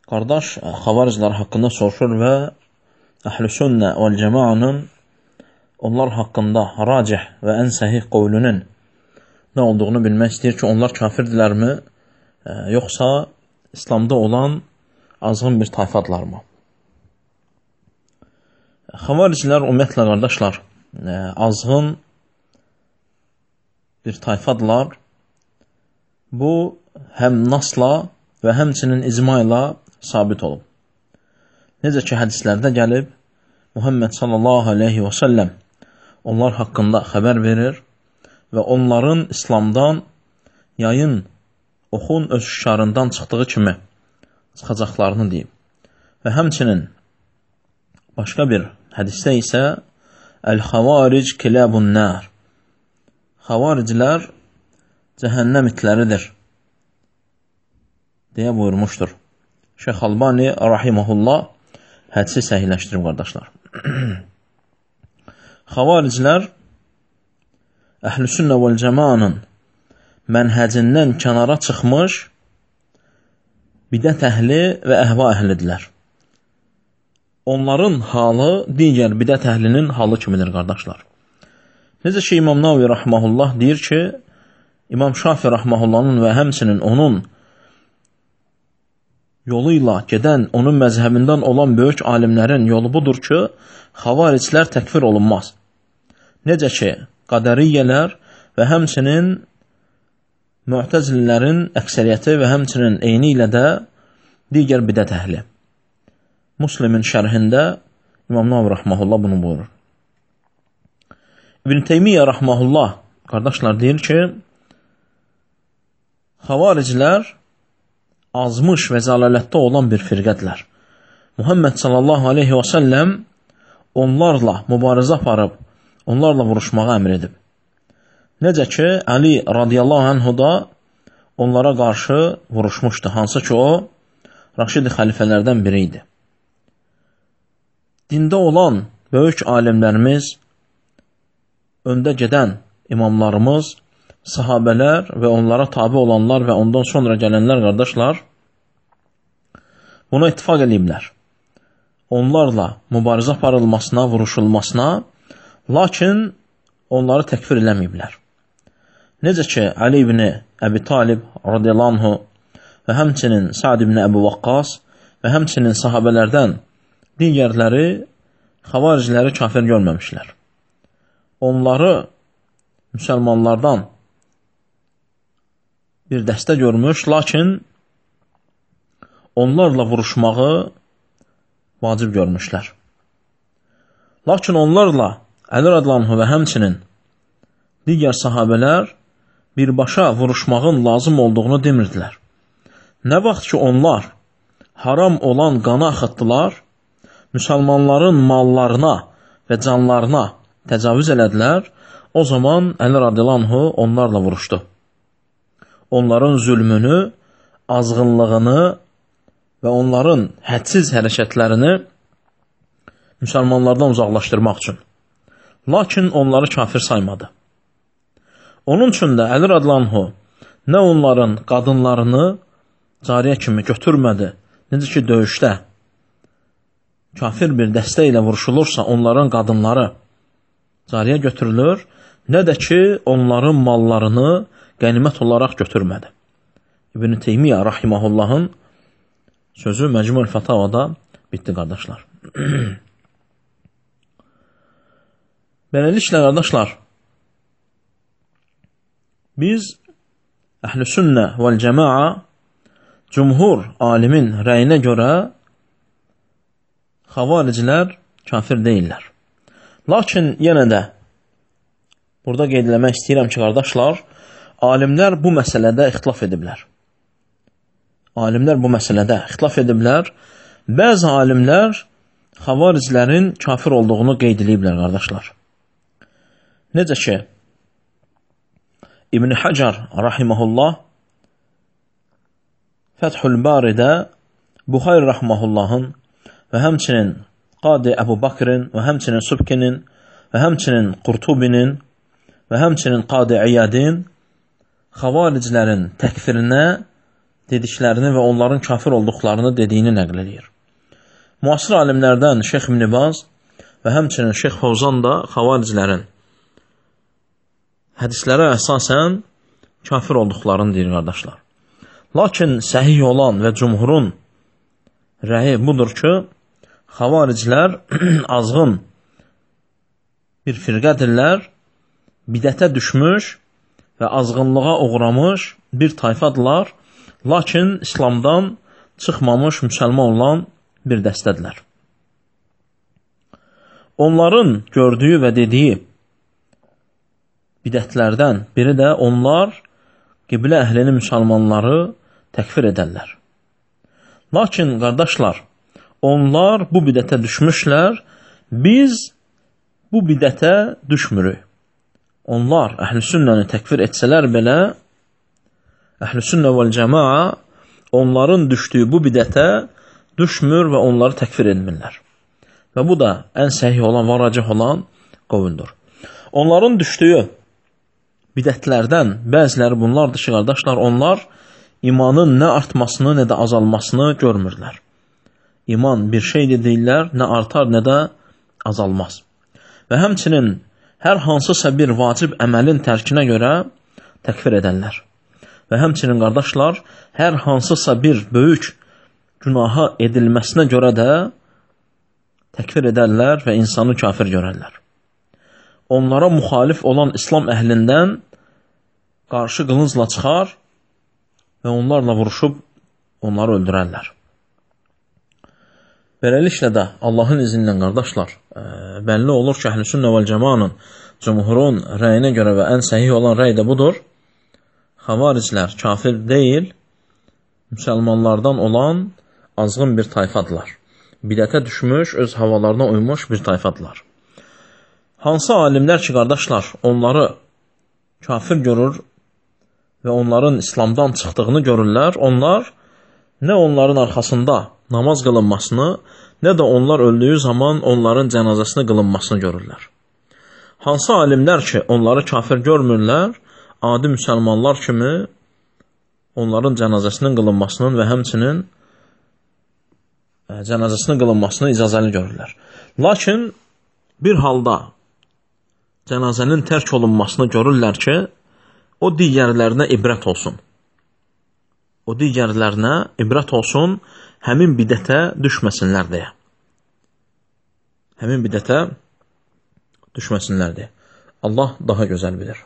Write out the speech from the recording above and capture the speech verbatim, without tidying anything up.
Qardaş, xavariclər haqqında soruşur və Əhl-i-Sünnə vəl-Cəmaənin onlar haqqında racih və ən səhih qovlunun nə olduğunu bilmək istəyir ki, onlar kafirdirlərmi, yoxsa İslamda olan azğın bir tayfadırlarmı? Xavariclər ümumiyyətlə qardaşlar, azğın bir tayfadırlar. Bu, həm nasla və həmçinin icma ilə sabit olub. Necə ki, hədislərdə gəlib, Muhammed sallallahu aleyhi və səlləm onlar haqqında xəbər verir və onların İslamdan yayın oxun öz şarından çıxdığı kimi çıxacaqlarını deyib. Və həmçinin başqa bir hədisdə isə Əl-Xavaric kiləbun nər, xavariclər cəhənnəm itləridir deyə buyurmuşdur. Şeyx Albani rahiməhullah hədisi səhihləşdirib qardaşlar. Xavariclər Əhl-i-Sünnə vəl-Cəmaənin mənhəcindən kənara çıxmış bidət əhli və əhva əhlidirlər. Onların halı digər bidət əhlinin halı kimidir qardaşlar. Necə ki, İmam Navi rahiməhullah deyir ki, İmam Şafi rahmehullahın və həmçinin onun yolu ilə gedən, onun məzhəbindən olan böyük alimlərin yolu budur ki, xavariclər təkfir olunmaz. Necə ki, qədəriyyələr və həmçinin mü'təzililərin əksəriyyəti və həmçinin eyni ilə də digər bidət əhli. Müslimin şərhində İmam Navi rahmehullah bunu buyurur. İbn Teymiyyə rahmehullah qardaşlar deyir ki, xavariclər azmış və zəlalətdə olan bir firqədlər. Muhammed sallallahu aleyhi və səlləm onlarla mübarizə aparıb, onlarla vuruşmağa əmr edib. Necə ki, Əli radiyallahu anhu da onlara qarşı vuruşmuşdu, hansı ki o, Raşid xəlifələrdən biri idi. Dində olan böyük alimlərimiz, öndə gedən imamlarımız, sahabələr və onlara tabi olanlar və ondan sonra gələnlər qardaşlar buna ittifaq ediblər. Onlarla mübarizə aparılmasına, vuruşulmasına, lakin onları təkfir eləməyiblər. Necə ki, Ali ibn Əbi Talib radiyallahu anhu və həmçinin Sa'd ibn Əbi Vaqqas və həmçinin sahabələrdən digərləri xavaricləri kafir görməmişlər. Onları müsəlmanlardan bir dəstə görmüş, lakin onlarla vuruşmağı vacib görmüşlər. Lakin onlarla Əli radiyallahu və həmçinin digər sahabələr birbaşa vuruşmağın lazım olduğunu demirdilər. Nə vaxt ki, onlar haram olan qana axıtdılar, müsəlmanların mallarına və canlarına təcavüz elədilər, o zaman Əli radiyallahu onlarla vuruşdu. Onların zülmünü, azğınlığını və onların hədsiz hərəkətlərini müsəlmanlardan uzaqlaşdırmaq üçün. Lakin onları kafir saymadı. Onun üçün də Əli radiyallahu nə onların qadınlarını cariyə kimi götürmədi, necə ki, döyüşdə kafir bir dəstə ilə vuruşulursa, onların qadınları cariyə götürülür, nə də ki, onların mallarını qənimət olaraq götürmədi. İbn Teymiyyə rahiməhullahın sözü Məcmu' l-Fətavada bitdi, qardaşlar. Beləliklə, qardaşlar, biz Əhl-i-Sünnə vəl-Cəmaə cümhur alimin rəyinə görə xavariclər kafir deyirlər. Lakin yenə də burada qeyd eləmək istəyirəm ki, qardaşlar, alimlər bu məsələdə ixtilaf ediblər. Alimlər bu məsələdə ixtilaf ediblər. Bəzi alimlər xavariclərin kafir olduğunu qeyd ediblər, qardaşlar. Necə ki, İbn Hacar rahiməhullah Fəthül Baridə Buxayr rahmehullahın və həmçinin Qadi Əbu Bakrin və həmçinin Subkinin və həmçinin Qurtubinin və həmçinin Qadi İyadin xavariclərin təkfirinə dediklərini və onların kafir olduqlarını dediyini nəql edir. Müasir alimlərdən Şeyx İbn Baz və həmçinin Şeyx Fovzan da xavaricilərin hədislərə əsasən kafir olduqlarını deyir, qardaşlar. Lakin səhih olan və cumhurun rəyi budur ki, xavaricilər azğın bir firqədirlər, bidətə düşmüş və azğınlığa uğramış bir tayfadırlar, lakin İslamdan çıxmamış müsəlman olan bir dəstədirlər. Onların gördüyü və dediyi bidətlərdən biri də onlar qiblə əhlini müsəlmanları təkfir edərlər. Lakin, qardaşlar, onlar bu bidətə düşmüşlər, biz bu bidətə düşmürük. Onlar əhl-i sünnəni təkfir etsələr belə, əhl-i sünnə vəl-cəmaa onların düşdüyü bu bidətə düşmür və onları təkfir etmirlər. Və bu da ən səhih olan, varacih olan qovuldur. Onların düşdüyü bidətlərdən bəziləri bunlardır ki, qardaşlar, onlar imanın nə artmasını, nə də azalmasını görmürlər. İman bir şeydir deyirlər, nə artar, nə də azalmaz. Və həmçinin hər hansısa bir vacib əməlin tərkinə görə təkfir edərlər. Və həmçinin, qardaşlar, hər hansısa bir böyük günaha edilməsinə görə də təkfir edərlər və insanı kafir görərlər. Onlara müxalif olan İslam əhlindən qarşı qılıncla çıxar və onlarla vuruşub onları öldürərlər. Beləliklə də Allahın izni ilə, qardaşlar, bəlli olur ki, əhl-i sünnə vəl-cəmanın, cumhurun rəyinə görə və ən səhih olan rəy də budur. Xavariclər kafir deyil, müsəlmanlardan olan azğın bir tayfadırlar. Bidətə düşmüş, öz havalarına uymuş bir tayfadırlar. Hansı alimlər ki, qardaşlar, onları kafir görür və onların İslamdan çıxdığını görürlər, onlar nə onların arxasında namaz qılınmasını, nə də onlar öldüyü zaman onların cənazəsini qılınmasını görürlər. Hansı alimlər ki, onları kafir görmürlər, adi müsəlmanlar kimi onların cənazəsinin qılınmasının və həmçinin cənazəsinin qılınmasını icazəli görürlər. Lakin bir halda cənazənin tərk olunmasını görürlər ki, o digərlərinə ibrət olsun. O digərlərinə ibrət olsun, həmin bidətə düşməsinlər deyə. Həmin bidətə düşməsinlər deyə. Allah daha gözəl bilir.